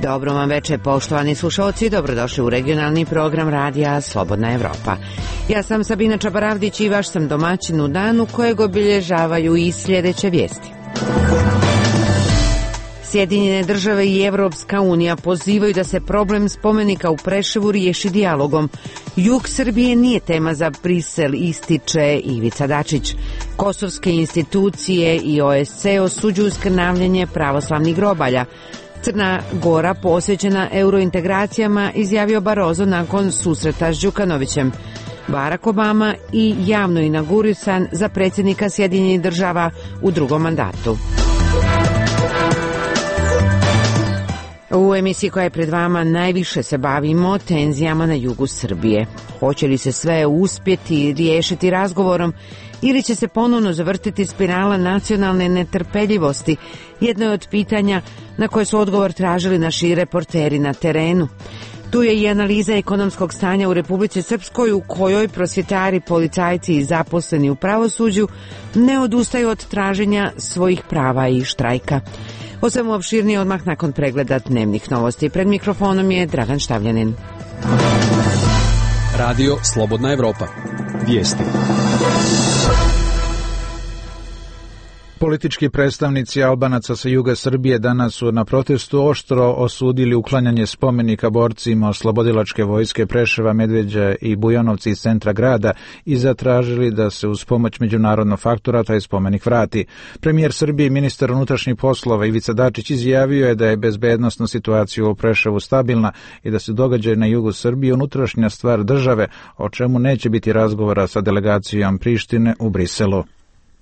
Dobro vam večer, poštovani slušalci, dobrodošli u regionalni program radija Slobodna Evropa. Ja sam Sabina Čabaravdić i vaš sam domaćin u danu kojeg obilježavaju i sljedeće vijesti. Sjedinjene države i Evropska unija pozivaju da se problem spomenika u Preševu riješi dijalogom. Jug Srbije nije tema za Brisel, ističe Ivica Dačić. Kosovske institucije i OSC osuđuju skrnavljenje pravoslavnih grobalja. Crna Gora posvećena eurointegracijama, izjavio Barroso nakon susreta s Đukanovićem. Barack Obama i javno inaugurisan za predsjednika Sjedinjenih država u drugom mandatu. U emisiji koja je pred vama najviše se bavimo tenzijama na jugu Srbije. Hoće li se sve uspjeti riješiti razgovorom ili će se ponovno zavrtiti spirala nacionalne netrpeljivosti? Jedno je od pitanja na koje su odgovor tražili naši reporteri na terenu. Tu je i analiza ekonomskog stanja u Republici Srpskoj, u kojoj prosvjetari, policajci i zaposleni u pravosuđu ne odustaju od traženja svojih prava i štrajka. O svemu opširnije odmah nakon pregleda dnevnih novosti. Pred mikrofonom je Dragan Štavljanin. Radio Slobodna Evropa. Vijesti. Politički predstavnici Albanaca sa juga Srbije danas su na protestu oštro osudili uklanjanje spomenika borcima oslobodilačke vojske Preševa, Medveđa i Bujanovci iz centra grada i zatražili da se uz pomoć međunarodnog faktora taj spomenik vrati. Premijer Srbije i ministar unutrašnjih poslova Ivica Dačić izjavio je da je bezbednosna situacija u Preševu stabilna i da se događaj na jugu Srbije unutrašnja stvar države, o čemu neće biti razgovora sa delegacijom Prištine u Briselu.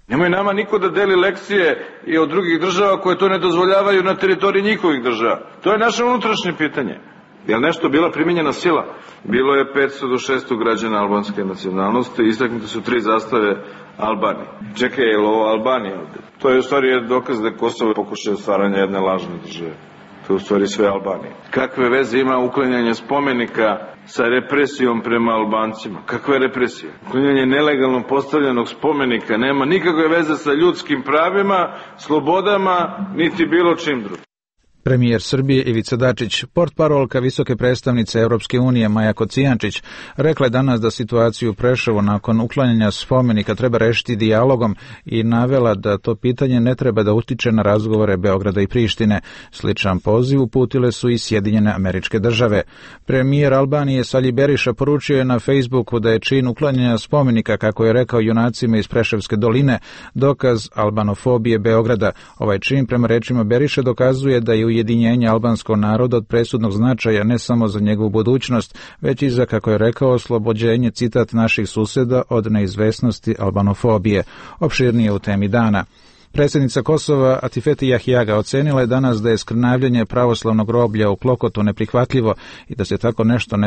Nemoj nama niko da deli lekcije i od drugih država koje to ne dozvoljavaju na teritoriji njihovih država. To je naše unutrašnje pitanje. Je li nešto bila primijenjena sila? Bilo je 500 do 600 građana albanske nacionalnosti, istaknute su 3 zastave Albanije. Čekaj, je li ovo Albanija ovdje? To je u stvari dokaz da je Kosovo pokušao stvaranja jedne lažne države. To je u stvari sve Albanije. Kakve veze ima uklanjanje spomenika sa represijom prema Albancima? Kakve represije? Uklanjanje nelegalno postavljenog spomenika nema nikakve veze sa ljudskim pravima, slobodama, niti bilo čim drugim. Premijer Srbije Ivica Dačić, portparolka visoke predstavnice Europske unije Maja Kocijančić, rekla je danas da situaciju u Preševu nakon uklanjanja spomenika treba rešiti dijalogom i navela da to pitanje ne treba da utiče na razgovore Beograda i Prištine. Sličan poziv uputile su i Sjedinjene Američke Države. Premijer Albanije Sali Beriša poručio je na Facebooku da je čin uklanjanja spomenika, kako je rekao, junacima iz Preševske doline, dokaz albanofobije Beograda. Ovaj čin, prema rečima Beriše, dokazuje da je ujedinjenje albanskog naroda od presudnog značaja ne samo za njegovu budućnost, već i za, kako je rekao, oslobođenje, citat, naših susjeda od neizvesnosti albanofobije. Opširnije u temi dana. Predsjednica Kosova Atifete Jahjaga ocenila je danas da je skrnavljanje pravoslavnog groblja u Klokotu neprihvatljivo i da se tako nešto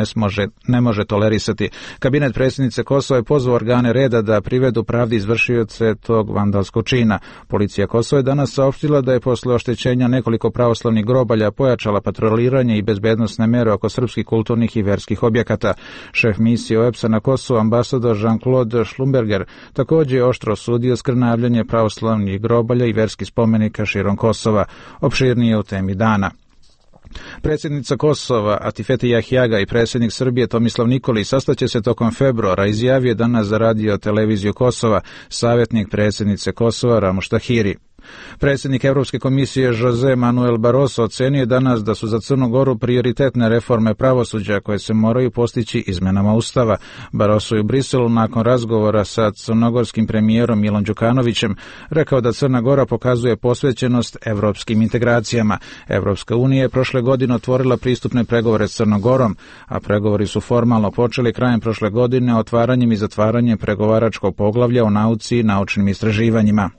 ne može tolerisati. Kabinet predsjednice Kosova je pozvao organe reda da privedu pravdi izvršioce tog vandalskog čina. Policija Kosova je danas saopštila da je posle oštećenja nekoliko pravoslavnih grobalja pojačala patroliranje i bezbednosne mere oko srpskih kulturnih i verskih objekata. Šef misije OEBS-a na Kosovu, ambasador Jean-Claude Schlumberger, također je oštro osudio skrnavljanje pravoslavnih grobalja i verskih spomenika širom Kosova. Opširnije u temi dana. Predsjednica Kosova Atifete Jahjaga i predsjednik Srbije Tomislav Nikolić sastaće se tokom februara, izjavio danas za radio televiziju Kosova savjetnik predsjednice Kosova Ramuš Tahiri. Predsjednik Evropske komisije Jose Manuel Barroso ocenio danas da su za Crnu Goru prioritetne reforme pravosuđa koje se moraju postići izmenama Ustava. Barroso je u Briselu nakon razgovora sa crnogorskim premijerom Milom Đukanovićem rekao da Crna Gora pokazuje posvećenost evropskim integracijama. Evropska unija je prošle godine otvorila pristupne pregovore s Crnom Gorom, a pregovori su formalno počeli krajem prošle godine otvaranjem i zatvaranjem pregovaračkog poglavlja o nauci i naučnim istraživanjima.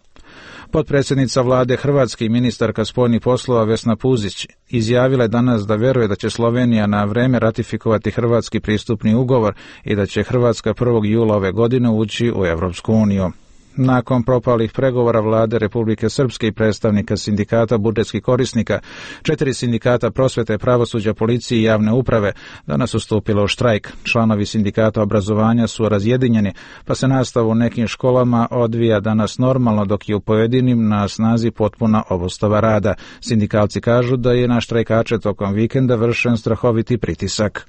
Potpredsjednica vlade Hrvatske i ministarka spoljnih poslova Vesna Puzić izjavila je danas da veruje da će Slovenija na vreme ratifikovati hrvatski pristupni ugovor i da će Hrvatska 1. jula ove godine ući u Evropsku uniju. Nakon propalih pregovora vlade Republike Srpske i predstavnika sindikata budžetskih korisnika, 4 sindikata prosvete, pravosuđa, policije i javne uprave danas ustupilo u štrajk. Članovi sindikata obrazovanja su razjedinjeni, pa se nastava u nekim školama odvija danas normalno, dok je u pojedinim na snazi potpuna obustava rada. Sindikalci kažu da je na štrajkače tokom vikenda vršen strahoviti pritisak.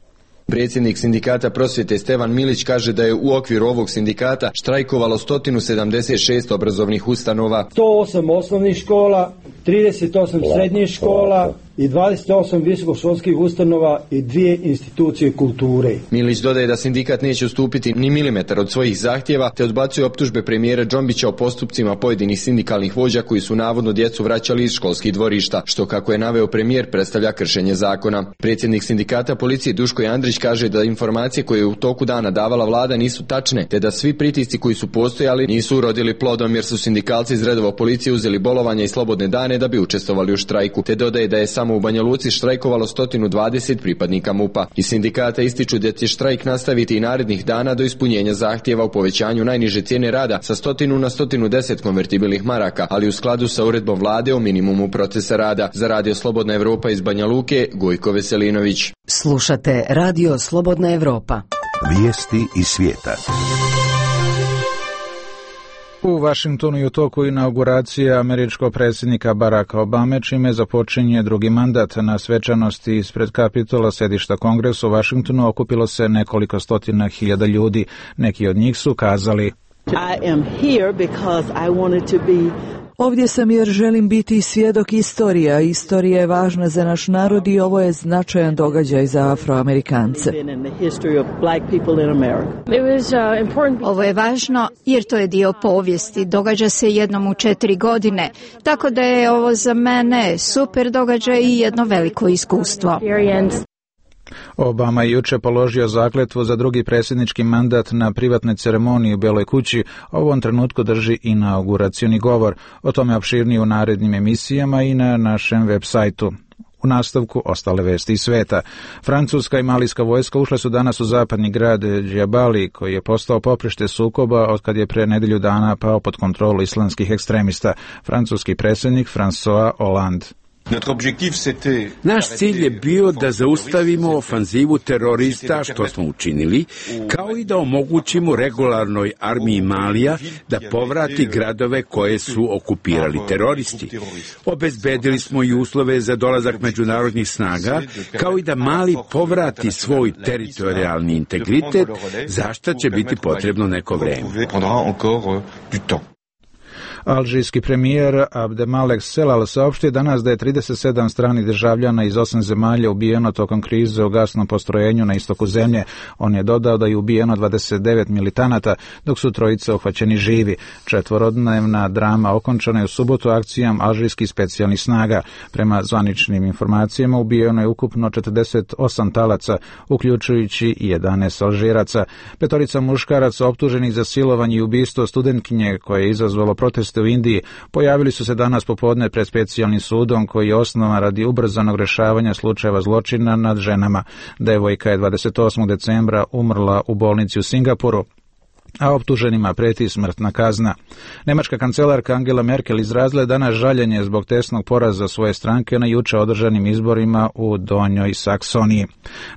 Predsjednik sindikata prosvjete Stevan Milić kaže da je u okviru ovog sindikata štrajkovalo 176 obrazovnih ustanova, 108 osnovnih škola, 38 srednjih škola i 28 visokoškolskih ustanova i 2 institucije kulture. Milić dodaje da sindikat neće ustupiti ni milimetar od svojih zahtjeva, te odbacuje optužbe premijera Džombića o postupcima pojedinih sindikalnih vođa koji su navodno djecu vraćali iz školskih dvorišta, što, kako je naveo premijer, predstavlja kršenje zakona. Predsjednik sindikata policije Duško Andrić kaže da informacije koje je u toku dana davala vlada nisu tačne, te da svi pritisci koji su postojali nisu urodili plodom, jer su sindikalci iz redova policije uzeli bolovanja i slobodne dane da bi učestvovali u štrajku, te dodaje da je samo u Banja Luci štrajkovalo 120 pripadnika MUP-a. Iz sindikata ističu da će štrajk nastaviti i narednih dana do ispunjenja zahtjeva u povećanju najniže cijene rada sa 100 na 110 konvertibilnih maraka, ali u skladu sa uredbom vlade o minimumu procesa rada. Za Radio Slobodna Evropa iz Banja Luke, Gojko Veselinović. Slušate Radio Slobodna Evropa. Vijesti iz svijeta. U Vašingtonu je u toku inauguracija američkog predsjednika Baracka Obame, čime započinje drugi mandat. Na svečanosti ispred Kapitola, sedišta Kongresa u Vašingtonu, okupilo se nekoliko stotina hiljada ljudi. Neki od njih su kazali: Ovdje sam jer želim biti svjedok istorija. Istorija je važna za naš narod i ovo je značajan događaj za Afroamerikance. Ovo je važno jer to je dio povijesti. Događa se jednom u 4 godine. Tako da je ovo za mene super događaj i jedno veliko iskustvo. Obama je juče položio zakletvu za drugi predsjednički mandat na privatnoj ceremoniji u Beloj kući. U ovom trenutku drži inauguracioni govor. O tome opširnije u narednim emisijama i na našem web sajtu. U nastavku ostale vesti iz sveta. Francuska i malijska vojska ušle su danas u zapadni grad Džabali, koji je postao poprište sukoba od kad je pre nedelju dana pao pod kontrolu islamskih ekstremista. Francuski predsjednik François Hollande. Naš cilj je bio da zaustavimo ofanzivu terorista, što smo učinili, kao i da omogućimo regularnoj armiji Malija da povrati gradove koje su okupirali teroristi. Obezbedili smo i uslove za dolazak međunarodnih snaga, kao i da Mali povrati svoj teritorijalni integritet, za što će biti potrebno neko vreme. Alžirski premijer Abdemalek Selal saopštio danas da je 37 stranih državljana iz 8 zemalja ubijeno tokom krize u gasnom postrojenju na istoku zemlje. On je dodao da je ubijeno 29 militanata, dok su trojica uhvaćeni živi. 4-dnevna drama okončana je u subotu akcijom alžirskih specijalnih snaga. Prema zvaničnim informacijama ubijeno je ukupno 48 talaca, uključujući i 11 Alžiraca. 5 muškaraca optuženih za silovanje i ubistvo studentkinje koje je izazvalo protest u Indiji pojavili su se danas popodne pred specijalnim sudom koji je osnovan radi ubrzanog rješavanja slučajeva zločina nad ženama. Devojka je 28. decembra umrla u bolnici u Singapuru, a optuženima preti smrtna kazna. Nemačka kancelarka Angela Merkel izrazila je danas žaljenje zbog tesnog poraza svoje stranke na juče održanim izborima u Donjoj Saksoniji.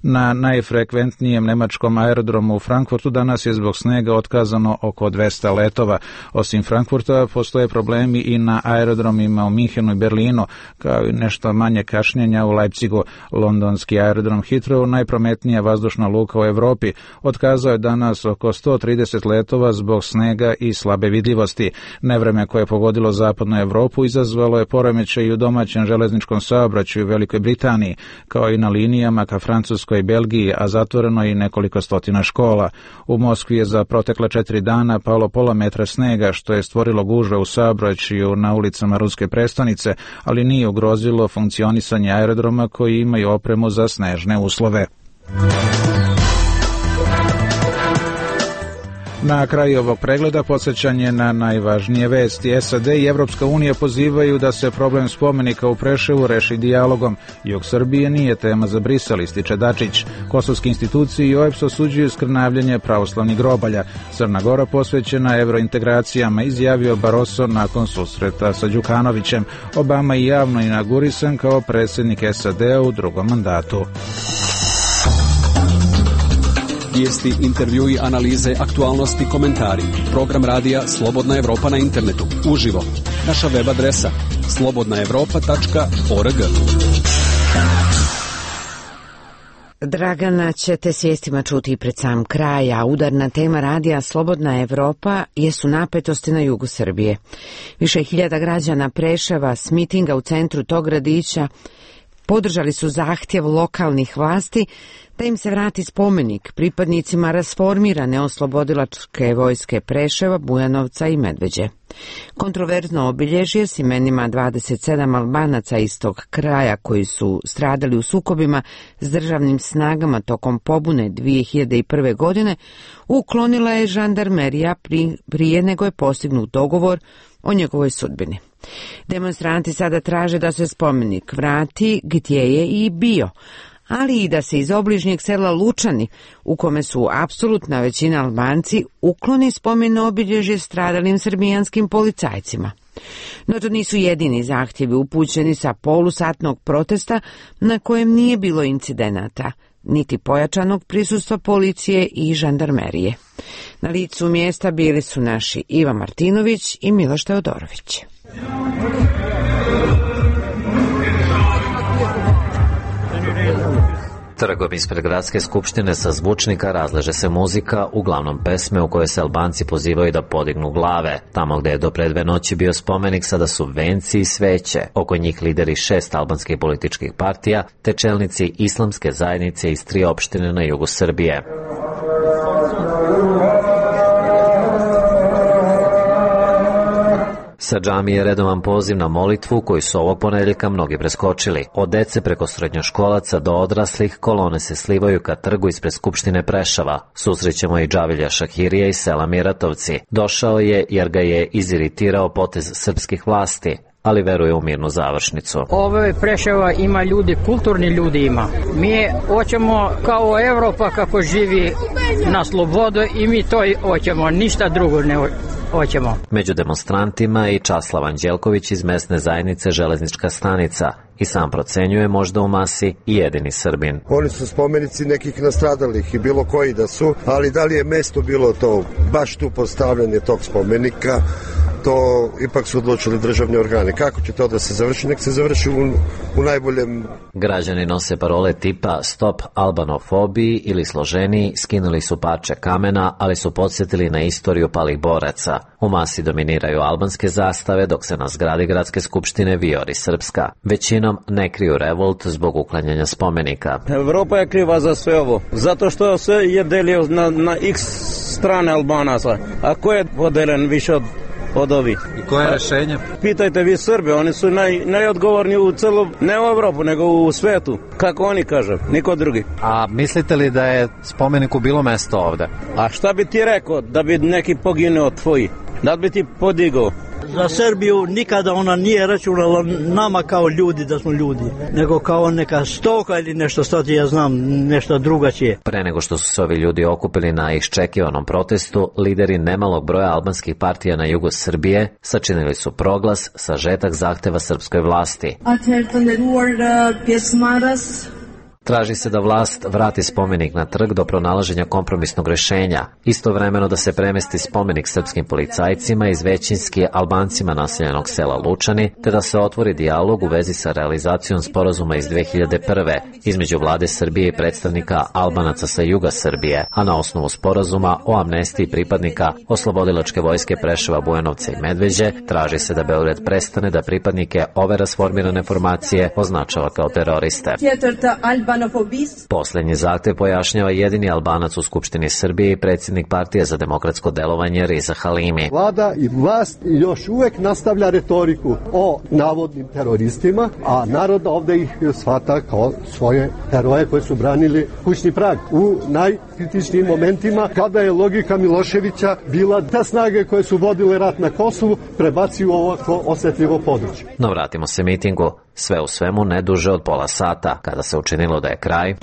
Na najfrekventnijem nemačkom aerodromu u Frankfurtu danas je zbog snega otkazano oko 200 letova. Osim Frankfurta postoje problemi i na aerodromima u Minhenu i Berlinu, kao i nešto manje kašnjenja u Leipzigu. Londonski aerodrom Heathrow, najprometnija vazdušna luka u Europi, otkazao je danas oko 130 letova zbog snega i slabe vidljivosti. Nevreme koje je pogodilo zapadnu Europu izazvalo je poremećaj i u domaćem železničkom saobraćaju u Velikoj Britaniji, kao i na linijama ka Francuskoj i Belgiji, a zatvoreno je i nekoliko stotina škola. U Moskvi je za protekle 4 dana palo pola metra snega, što je stvorilo gužve u saobraćaju na ulicama ruske prestonice, ali nije ugrozilo funkcionisanje aerodroma koji imaju opremu za snežne uslove. Na kraju ovog pregleda podsjećanje na najvažnije vesti. SAD i Evropska unija pozivaju da se problem spomenika u Preševu reši dijalogom. Jug Srbije nije tema za Brisel, ističe Dačić. Kosovske institucije i OEBS osuđuju skrnavljenje pravoslavnih grobalja. Crna Gora posvećena evrointegracijama, izjavio Barroso nakon susreta sa Đukanovićem. Obama je javno inaugurisan kao predsjednik SAD-a u drugom mandatu. Vijesti, intervjui, analize, aktualnosti, komentari. Program radija Slobodna Evropa na internetu. Uživo. Naša web adresa slobodnaevropa.org. Dragana ćete s vijestima čuti i pred sam kraj, a udarna tema radija Slobodna Evropa jesu napetosti na jugu Srbije. Više hiljada građana Preševa s mitinga u centru tog gradića podržali su zahtjev lokalnih vlasti da im se vrati spomenik pripadnicima rasformirane oslobodilačke vojske Preševa, Bujanovca i Medveđe. Kontroverzno obilježje s imenima 27 Albanaca iz tog kraja koji su stradali u sukobima s državnim snagama tokom pobune 2001. godine uklonila je žandarmerija prije nego je postignut dogovor o njegovoj sudbini. Demonstranti sada traže da se spomenik vrati gdje je i bio, ali i da se iz obližnjeg sela Lučani, u kome su apsolutna većina Albanci, ukloni spomen obilježje stradalim srbijanskim policajcima. No to nisu jedini zahtjevi upućeni sa polusatnog protesta na kojem nije bilo incidenata, niti pojačanog prisustva policije i žandarmerije. Na licu mjesta bili su naši Iva Martinović i Miloš Teodorović. Trgom ispred gradske skupštine sa zvučnika razleže se muzika, uglavnom pesme u kojoj se Albanci pozivaju da podignu glave. Tamo gde je do pre 2 noći bio spomenik, sada su venci i sveće. Oko njih lideri 6 albanskih političkih partija, te čelnici islamske zajednice iz 3 opštine na jugu Srbije. Sa džamije je redovan poziv na molitvu koji su ovog ponedjeljka mnogi preskočili. Od dece preko srednjoškolaca do odraslih kolone se slivaju ka trgu ispred Skupštine Preševa. Susrećemo i Džavilja Šahirija iz sela Miratovci. Došao je jer ga je iziritirao potez srpskih vlasti, ali veruje u mirnu završnicu. Ove Preševa ima ljudi, kulturni ljudi ima. Mi hoćemo kao Evropa kako živi na slobodu i mi to hoćemo, ništa drugo ne hoćemo. Među demonstrantima i Časlav Anđelković iz mesne zajednice Železnička stanica i sam procenjuje možda u masi i jedini Srbin. Oni su spomenici nekih nastradalih i bilo koji da su, ali da li je mesto bilo to baš tu postavljanje tog spomenika, to ipak su odlučili državni organi. Kako će to da se završi? Nek se završi u najboljem. Građani nose parole tipa Stop albanofobiji ili složeniji, skinuli su parče kamena, ali su podsjetili na istoriju palih boraca. U masi dominiraju albanske zastave, dok se na zgradi gradske skupštine vijori srpska. Većinom ne kriju revolt zbog uklanjanja spomenika. Evropa je kriva za sve ovo, zato što sve je delio na x strane Albanaca. A ko je podelen više od ovih? I koje je rešenje? Pitajte vi Srbe, oni su najodgovorniji u celu, ne u Evropu, nego u svetu. Kako oni kažu, niko drugi. A mislite li da je spomeniku bilo mesto ovde? A šta bi ti rekao da bi neki poginuo tvoji? Da bi ti podigao? Za Srbiju nikada ona nije računala nama kao ljudi da smo ljudi, nego kao neka stoka ili nešto što ti ja znam, nešto drugačije. Pre nego što su se ovi ljudi okupili na iščekivanom protestu, lideri nemalog broja albanskih partija na jugu Srbije sačinili su proglas, sažetak zahteva srpskoj vlasti. Traži se da vlast vrati spomenik na trg do pronalaženja kompromisnog rešenja, istovremeno da se premesti spomenik srpskim policajcima iz većinski Albancima naseljenog sela Lučani, te da se otvori dijalog u vezi sa realizacijom sporazuma iz 2001. između vlade Srbije i predstavnika Albanaca sa juga Srbije, a na osnovu sporazuma o amnestiji pripadnika oslobodilačke vojske Preševa, Bujanovca i Medveđe traži se da Beograd prestane da pripadnike ove rasformirane formacije označava kao teroriste. Poslednji zahtev pojašnjava jedini Albanac u Skupštini Srbije i predsjednik Partije za demokratsko delovanje Riza Halimi. Vlada i vlast još uvek nastavlja retoriku o navodnim teroristima, a narod ovde ih shvata kao svoje heroje koji su branili kućni prag. U najkritičnijim momentima, kada je logika Miloševića bila da snage koje su vodile rat na Kosovu prebaci u ovako osjetljivo područje. No vratimo se mitingu. Sve u svemu ne duže od pola sata, kada se učinilo da je kraj.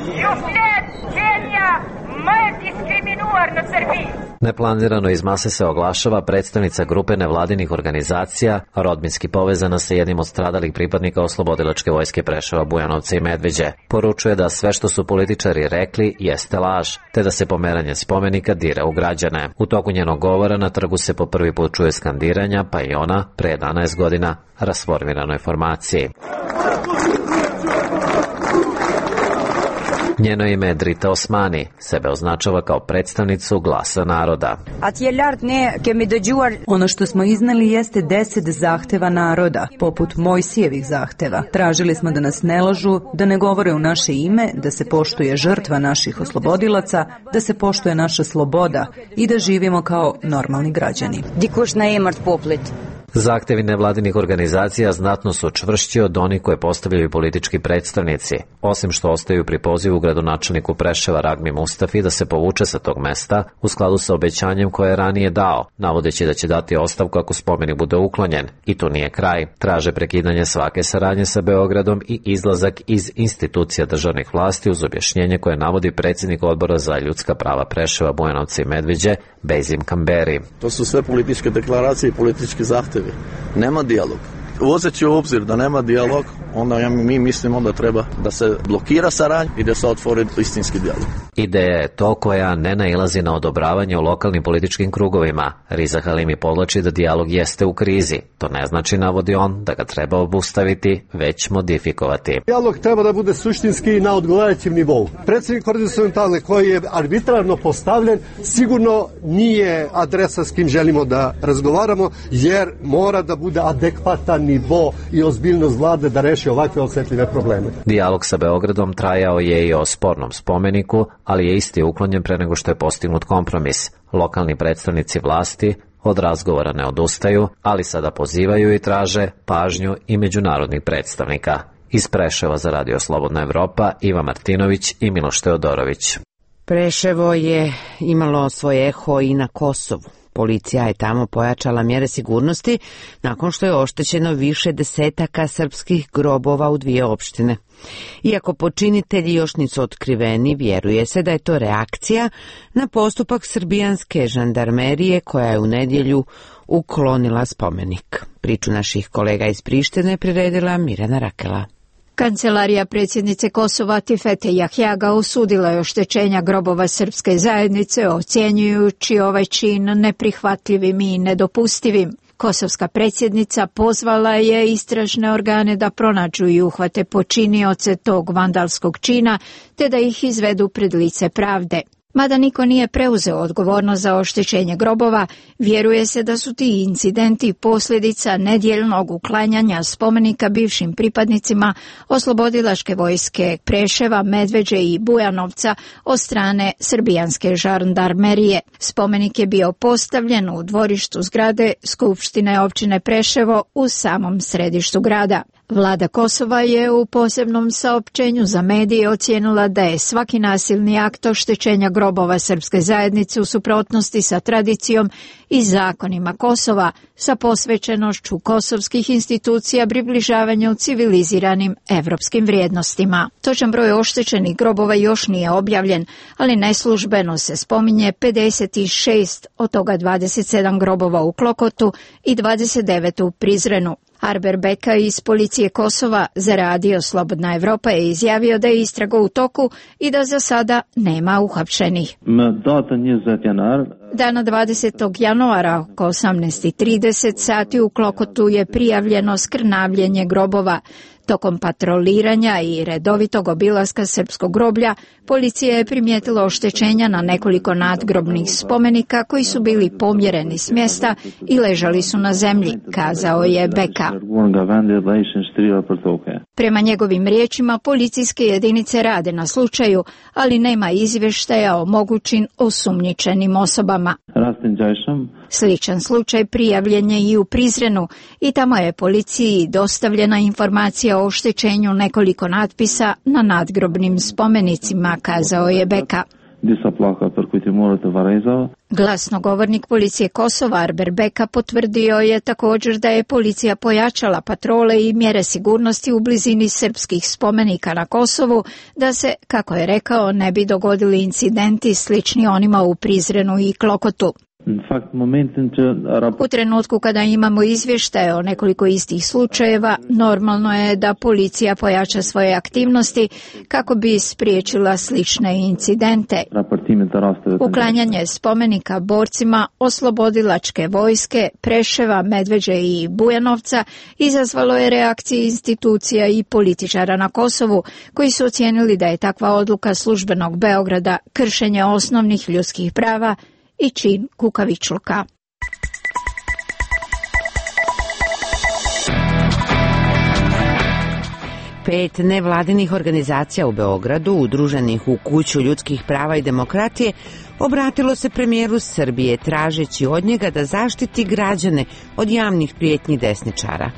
Neplanirano iz mase se oglašava predstavnica grupe nevladinih organizacija, rodbinski povezana sa jednim od stradalih pripadnika Oslobodilačke vojske Preševa, Bujanovca i Medveđe. Poručuje da sve što su političari rekli jeste laž, te da se pomeranje spomenika dira u građane. U toku njenog govora na trgu se po prvi put čuje skandiranja, pa i ona, pre 11 godina, rasformiranoj formaciji. Njeno ime je Drita Osmani, sebe označava kao predstavnicu glasa naroda. Ono što smo izneli jeste 10 zahteva naroda, poput Mojsijevih zahteva. Tražili smo da nas ne lažu, da ne govore u naše ime, da se poštuje žrtva naših oslobodilaca, da se poštuje naša sloboda i da živimo kao normalni građani. Zahtevi nevladinih organizacija znatno su čvršći od onih koje postavljaju politički predstavnici. Osim što ostaju pri pozivu gradonačelniku Preševa Ragmi Mustafi da se povuče sa tog mesta u skladu sa obećanjem koje je ranije dao, navodeći da će dati ostavku ako spomenik bude uklonjen. I to nije kraj. Traže prekidanje svake saradnje sa Beogradom i izlazak iz institucija državnih vlasti uz objašnjenje koje navodi predsjednik Odbora za ljudska prava Preševa, Bujanovca i Medveđe, Bejzim Kamberi. To su sve političke deklaracije i politički zahtevi. Nema dijalog. Uzeći u obzir da nema dijalog, onda mi mislimo da treba da se blokira saradnja i da se otvori istinski dijalog. Ideja je to koja ne nailazi na odobravanje u lokalnim političkim krugovima. Riza Halimi podlači da dijalog jeste u krizi. To ne znači, navodi on, da ga treba obustaviti, već modifikovati. Dijalog treba da bude suštinski na odgovarajućem nivou. Predsjednik horizontalne koji je arbitrarno postavljen sigurno nije adresa s kim želimo da razgovaramo, jer mora da bude adekvatan nivo i ozbiljnost vlade da reši ovakve osjetljive probleme. Dijalog sa Beogradom trajao je i o spornom spomeniku, ali je isti uklonjen pre nego što je postignut kompromis. Lokalni predstavnici vlasti od razgovora ne odustaju, ali sada pozivaju i traže pažnju i međunarodnih predstavnika. Iz Preševa za Radio Slobodna Evropa, Iva Martinović i Miloš Teodorović. Preševo je imalo svoje eho i na Kosovu. Policija je tamo pojačala mjere sigurnosti nakon što je oštećeno više desetaka srpskih grobova u 2 opštine. Iako počinitelji još nisu otkriveni, vjeruje se da je to reakcija na postupak srbijanske žandarmerije koja je u nedjelju uklonila spomenik. Priču naših kolega iz Prištine priredila Mirjana Rakela. Kancelarija predsjednice Kosova Tifete Jahjaga osudila je oštećenja grobova srpske zajednice, ocjenjujući ovaj čin neprihvatljivim i nedopustivim. Kosovska predsjednica pozvala je istražne organe da pronađu i uhvate počinioce tog vandalskog čina, te da ih izvedu pred lice pravde. Mada niko nije preuzeo odgovornost za oštećenje grobova, vjeruje se da su ti incidenti posljedica nedjeljnog uklanjanja spomenika bivšim pripadnicima Oslobodilačke vojske Preševa, Medveđe i Bujanovca od strane srbijanske žandarmerije. Spomenik je bio postavljen u dvorištu zgrade Skupštine općine Preševo u samom središtu grada. Vlada Kosova je u posebnom saopćenju za medije ocijenila da je svaki nasilni akt oštećenja grobova srpske zajednice u suprotnosti sa tradicijom i zakonima Kosova, sa posvećenošću kosovskih institucija približavanju civiliziranim evropskim vrijednostima. Točan broj oštećenih grobova još nije objavljen, ali neslužbeno se spominje 56, od toga 27 grobova u Klokotu i 29 u Prizrenu. Arber Beka iz policije Kosova za Radio Slobodna Evropa je izjavio da je istraga u toku i da za sada nema uhapšenih. Dana 20. januara oko 18:30 sati u Klokotu je prijavljeno skrnavljenje grobova. Tokom patroliranja i redovitog obilaska srpskog groblja, policija je primijetila oštećenja na nekoliko nadgrobnih spomenika koji su bili pomjereni s mjesta i ležali su na zemlji, kazao je Beka. Prema njegovim riječima, policijske jedinice rade na slučaju, ali nema izvještaja o mogućim osumnjičenim osobama. Sličan slučaj prijavljen je i u Prizrenu i tamo je policiji dostavljena informacija o oštećenju nekoliko natpisa na nadgrobnim spomenicima, kazao je Beka. Glasnogovornik policije Kosova Arber Beka potvrdio je također da je policija pojačala patrole i mjere sigurnosti u blizini srpskih spomenika na Kosovu, da se, kako je rekao, ne bi dogodili incidenti slični onima u Prizrenu i Klokotu. U trenutku kada imamo izvještaje o nekoliko istih slučajeva, normalno je da policija pojača svoje aktivnosti kako bi spriječila slične incidente. Uklanjanje spomenika borcima oslobodilačke vojske Preševa, Medveđe i Bujanovca izazvalo je reakcije institucija i političara na Kosovu, koji su ocijenili da je takva odluka službenog Beograda kršenje osnovnih ljudskih prava i čin kukavičluka. Pet nevladinih organizacija u Beogradu, udruženih u Kuću ljudskih prava i demokratije, obratilo se premijeru Srbije tražeći od njega da zaštiti građane od javnih prijetnji desničara.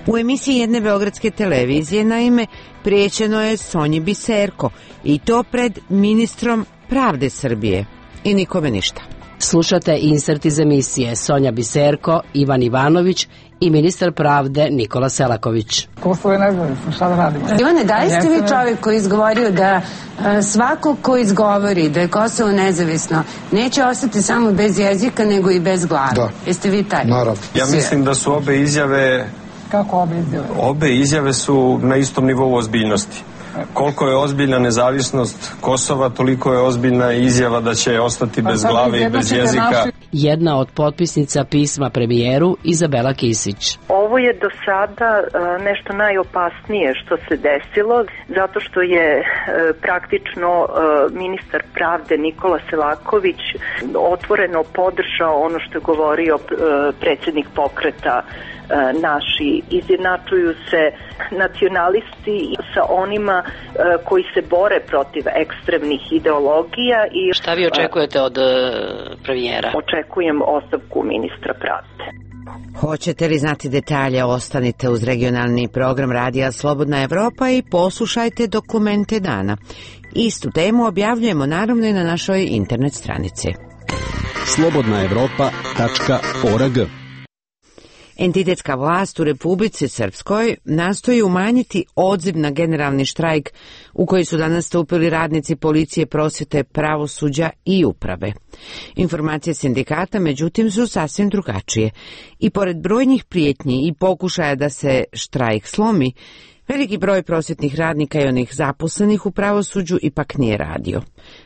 U emisiji jedne beogradske televizije, naime, prijećeno je Sonji Biserko, i to pred ministrom pravde Srbije. I nikome ništa. Slušate insert iz emisije Sonja Biserko, Ivan Ivanović i ministar pravde Nikola Selaković. Kosovo je nezavisno, šta da radimo? Ivane, da li ste vi čovjek koji izgovorio da svako ko izgovori da je Kosovo nezavisno neće ostati samo bez jezika nego i bez glave? Da. Jeste vi taj? Naravno. Ja mislim da su obe izjave... Kako obe izjave? Obe izjave su na istom nivou ozbiljnosti. Koliko je ozbiljna nezavisnost Kosova, toliko je ozbiljna izjava da će ostati bez glave i bez jezika. Jedna od potpisnica pisma premijeru, Izabela Kisić. Ovo je do sada nešto najopasnije što se desilo, zato što je praktično ministar pravde Nikola Selaković otvoreno podržao ono što je govorio predsjednik pokreta naši. Izjednačuju se nacionalisti sa onima koji se bore protiv ekstremnih ideologija. I šta vi očekujete od premijera? Očekujem ostavku ministra pravde. Hoćete li znati detalje? Ostanite uz regionalni program Radija Slobodna Evropa i poslušajte Dokumente dana. Istu temu objavljujemo naravno i na našoj internet stranici. slobodnaevropa.org. Entitetska vlast u Republici Srpskoj nastoji umanjiti odziv na generalni štrajk u koji su danas stupili radnici policije, prosvjete, pravosuđa i uprave. Informacije sindikata, međutim, su sasvim drugačije. I pored brojnih prijetnji i pokušaja da se štrajk slomi, veliki broj prosvjetnih radnika i onih zaposlenih u pravosuđu ipak nije radio.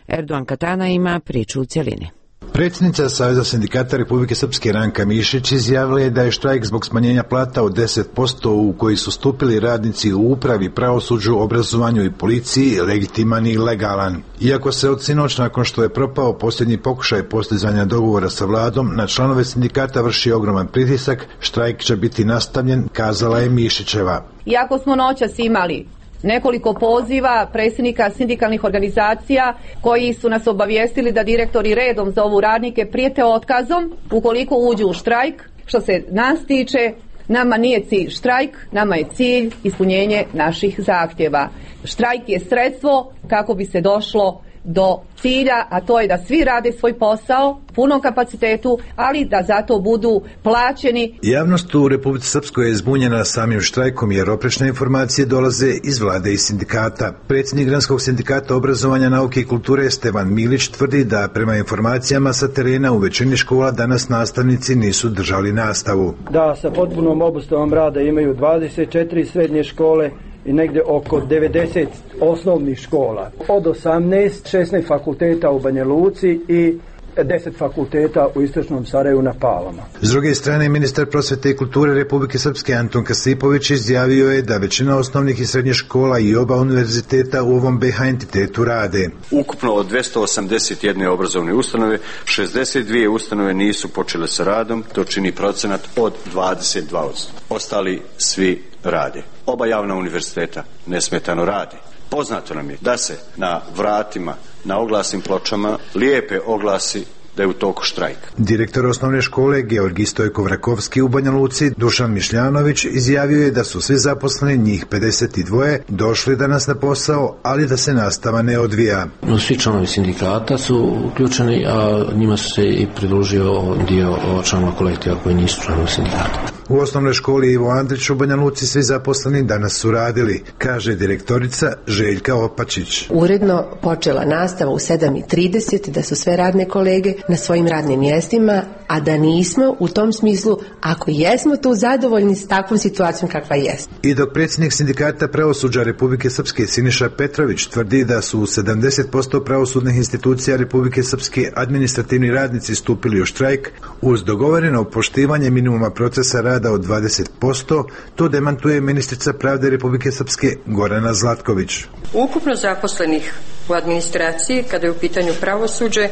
Erdogan Katana ima priču u cjelini. Predsjednica Saveza sindikata Republike Srpske Ranka Mišić izjavila je da je štrajk zbog smanjenja plata od 10% u koji su stupili radnici u upravi, pravosuđu, obrazovanju i policiji legitiman i legalan. Iako se od sinoć, nakon što je propao posljednji pokušaj postizanja dogovora sa vladom, na članove sindikata vrši ogroman pritisak, štrajk će biti nastavljen, kazala je Mišićeva. Iako smo noćas imali nekoliko poziva predsjednika sindikalnih organizacija koji su nas obavijestili da direktori redom za ovu radnike prijete otkazom ukoliko uđu u štrajk. Što se nas tiče, nama nije cilj štrajk, nama je cilj ispunjenje naših zahtjeva. Štrajk je sredstvo kako bi se došlo do cilja, a to je da svi rade svoj posao u punom kapacitetu, ali da zato budu plaćeni. Javnost u Republici Srpskoj je zbunjena samim štrajkom jer oprečne informacije dolaze iz vlade i sindikata. Predsjednik Granskog sindikata obrazovanja, nauke i kulture Stevan Milić tvrdi da prema informacijama sa terena u većini škola danas nastavnici nisu držali nastavu. Da, sa potpunom obustavom rada imaju 24 srednje škole i negdje oko 90 osnovnih škola. Od 16 fakulteta u Banja Luci i 10 fakulteta u istočnom Sarajevu na Palama. S druge strane, ministar prosvjete i kulture Republike Srpske Anton Kasipović izjavio je da većina osnovnih i srednjih škola i oba univerziteta u ovom BiH entitetu rade. Ukupno od 281 obrazovne ustanove, 62 ustanove nisu počele sa radom, to čini procenat od 22%. Ostali svi rade. Oba javna univerziteta nesmetano rade. Poznato nam je da se na vratima, na oglasnim pločama lijepe oglasi da je u toku štrajk. Direktor osnovne škole Georgij Stojko-Vrakovski u Banja Luci, Dušan Mišljanović, izjavio je da su svi zaposleni, njih 52, došli danas na posao, ali da se nastava ne odvija. Svi članovi sindikata su uključeni, a njima su se i pridružio dio članova kolektiva koji nisu članovi sindikata. U osnovnoj školi Ivo Andrić u Banja Luci svi zaposleni danas su radili, kaže direktorica Željka Opačić. Uredno počela nastava u 7:30, da su sve radne kolege na svojim radnim mjestima, a da nismo u tom smislu, ako jesmo tu zadovoljni s takvom situacijom kakva jest. I dok predsjednik sindikata pravosuđa Republike Srpske Siniša Petrović tvrdi da su u 70% pravosudnih institucija Republike Srpske administrativni radnici stupili u štrajk, uz dogovoreno poštivanje minimuma procesa rada od 20%, to demantuje ministrica pravde Republike Srpske Gorana Zlatković. Ukupno zaposlenih u administraciji, kada je u pitanju pravosuđe,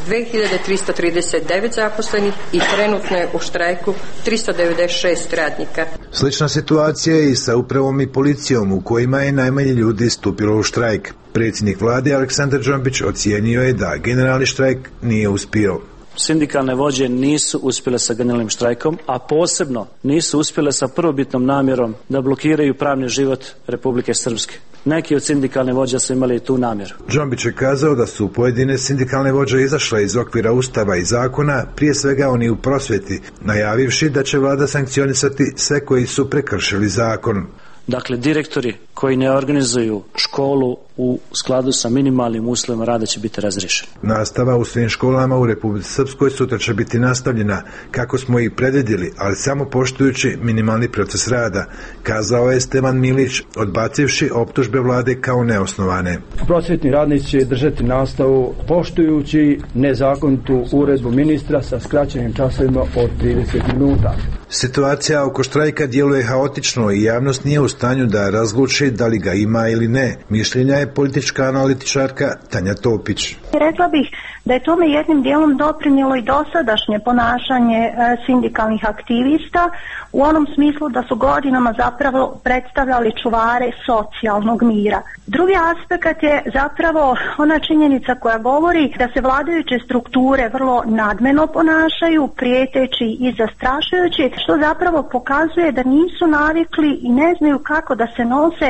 2339 zaposlenih i trenutno je u štrajku 396 radnika. Slična situacija je i sa upravom i policijom, u kojima je najmanje ljudi stupilo u štrajk. Predsjednik vlade Aleksandar Džombić ocijenio je da generalni štrajk nije uspio. Sindikalne vođe nisu uspjele sa generalnim štrajkom, a posebno nisu uspjele sa prvobitnom namjerom da blokiraju pravni život Republike Srpske. Neki od sindikalne vođa su imali tu namjeru. Džombić je kazao da su pojedine sindikalne vođe izašle iz okvira Ustava i zakona, prije svega oni u prosvjeti, najavivši da će vlada sankcionisati sve koji su prekršili zakon. Dakle, direktori koji ne organizuju školu u skladu sa minimalnim uslovima rada će biti razriješeni. Nastava u svim školama u Republici Srpskoj sutra će biti nastavljena, kako smo i predvidjeli, ali samo poštujući minimalni proces rada, kazao je Stevan Milić, odbacivši optužbe vlade kao neosnovane. Prosvjetni radnici će držati nastavu poštujući nezakonitu uredbu ministra sa skraćenim časovima od 30 minuta. Situacija oko štrajka djeluje haotično i javnost nije u stanju da razluči da li ga ima ili ne. Mišljenja je politička analitičarka Tanja Topić. Rekla bih da je tome jednim dijelom doprinijelo i dosadašnje ponašanje sindikalnih aktivista u onom smislu da su godinama zapravo predstavljali čuvare socijalnog mira. Drugi aspekt je zapravo ona činjenica koja govori da se vladajuće strukture vrlo nadmeno ponašaju, prijeteći i zastrašujući, što zapravo pokazuje da nisu navikli i ne znaju kako da se nose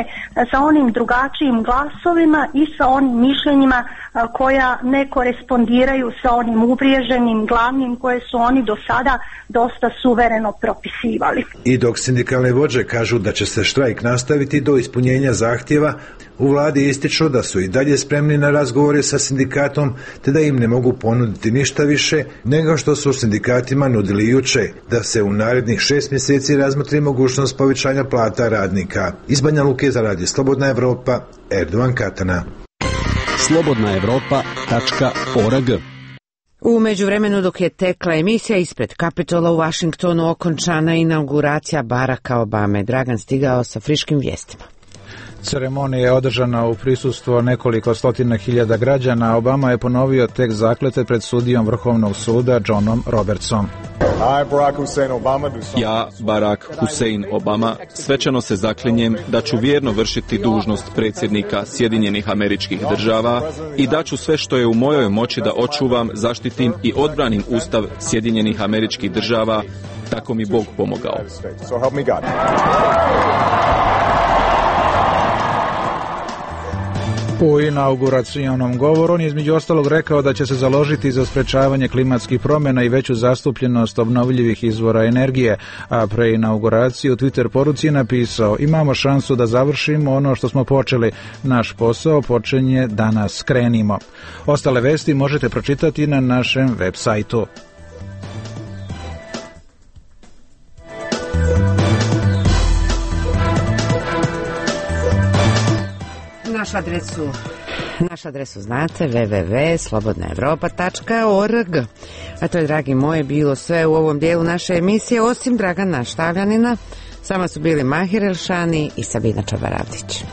sa onim drugačijim glasovima i sa onim mišljenjima koja ne korespondiraju sa onim uvriježenim glavnim koje su oni do sada dosta suvereno propisivali. I dok sindikalne vođe kažu da će se štrajk nastaviti do ispunjenja zahtjeva, u vladi ističu da su i dalje spremni na razgovore sa sindikatom, te da im ne mogu ponuditi ništa više nego što su sindikatima nudili juče, da se u narednih 6 mjeseci razmotri mogućnost povećanja plata radnika. Iz Banja Luke za radio Slobodna Evropa, Erdovan Katana. slobodnaevropa.org. U međuvremenu dok je tekla emisija ispred Kapitola u Vašingtonu, okončana inauguracija Baracka Obame. Dragan stigao sa friškim vijestima. Ceremonija je održana u prisustvu nekoliko stotina hiljada građana. Obama je ponovio tekst zakletve pred sudijom Vrhovnog suda Johnom Robertsom. Ja, Barack Hussein Obama, svečano se zaklinjem da ću vjerno vršiti dužnost predsjednika Sjedinjenih Američkih Država i da ću sve što je u mojoj moći da očuvam, zaštitim i odbranim Ustav Sjedinjenih Američkih Država, tako mi Bog pomogao. U inauguracionom govoru on je između ostalog rekao da će se založiti za sprečavanje klimatskih promjena i veću zastupljenost obnovljivih izvora energije, a pre inauguraciju u Twitter poruci je napisao: imamo šansu da završimo ono što smo počeli, naš posao počinje danas, krenimo. Ostale vesti možete pročitati na našem web sajtu. Našu adresu znate, www.slobodnaevropa.org. A to je, dragi moji, bilo sve u ovom dijelu naše emisije, osim Dragana Štavljanina. Sama su bili Mahir Elšani i Sabina Čabaravdić.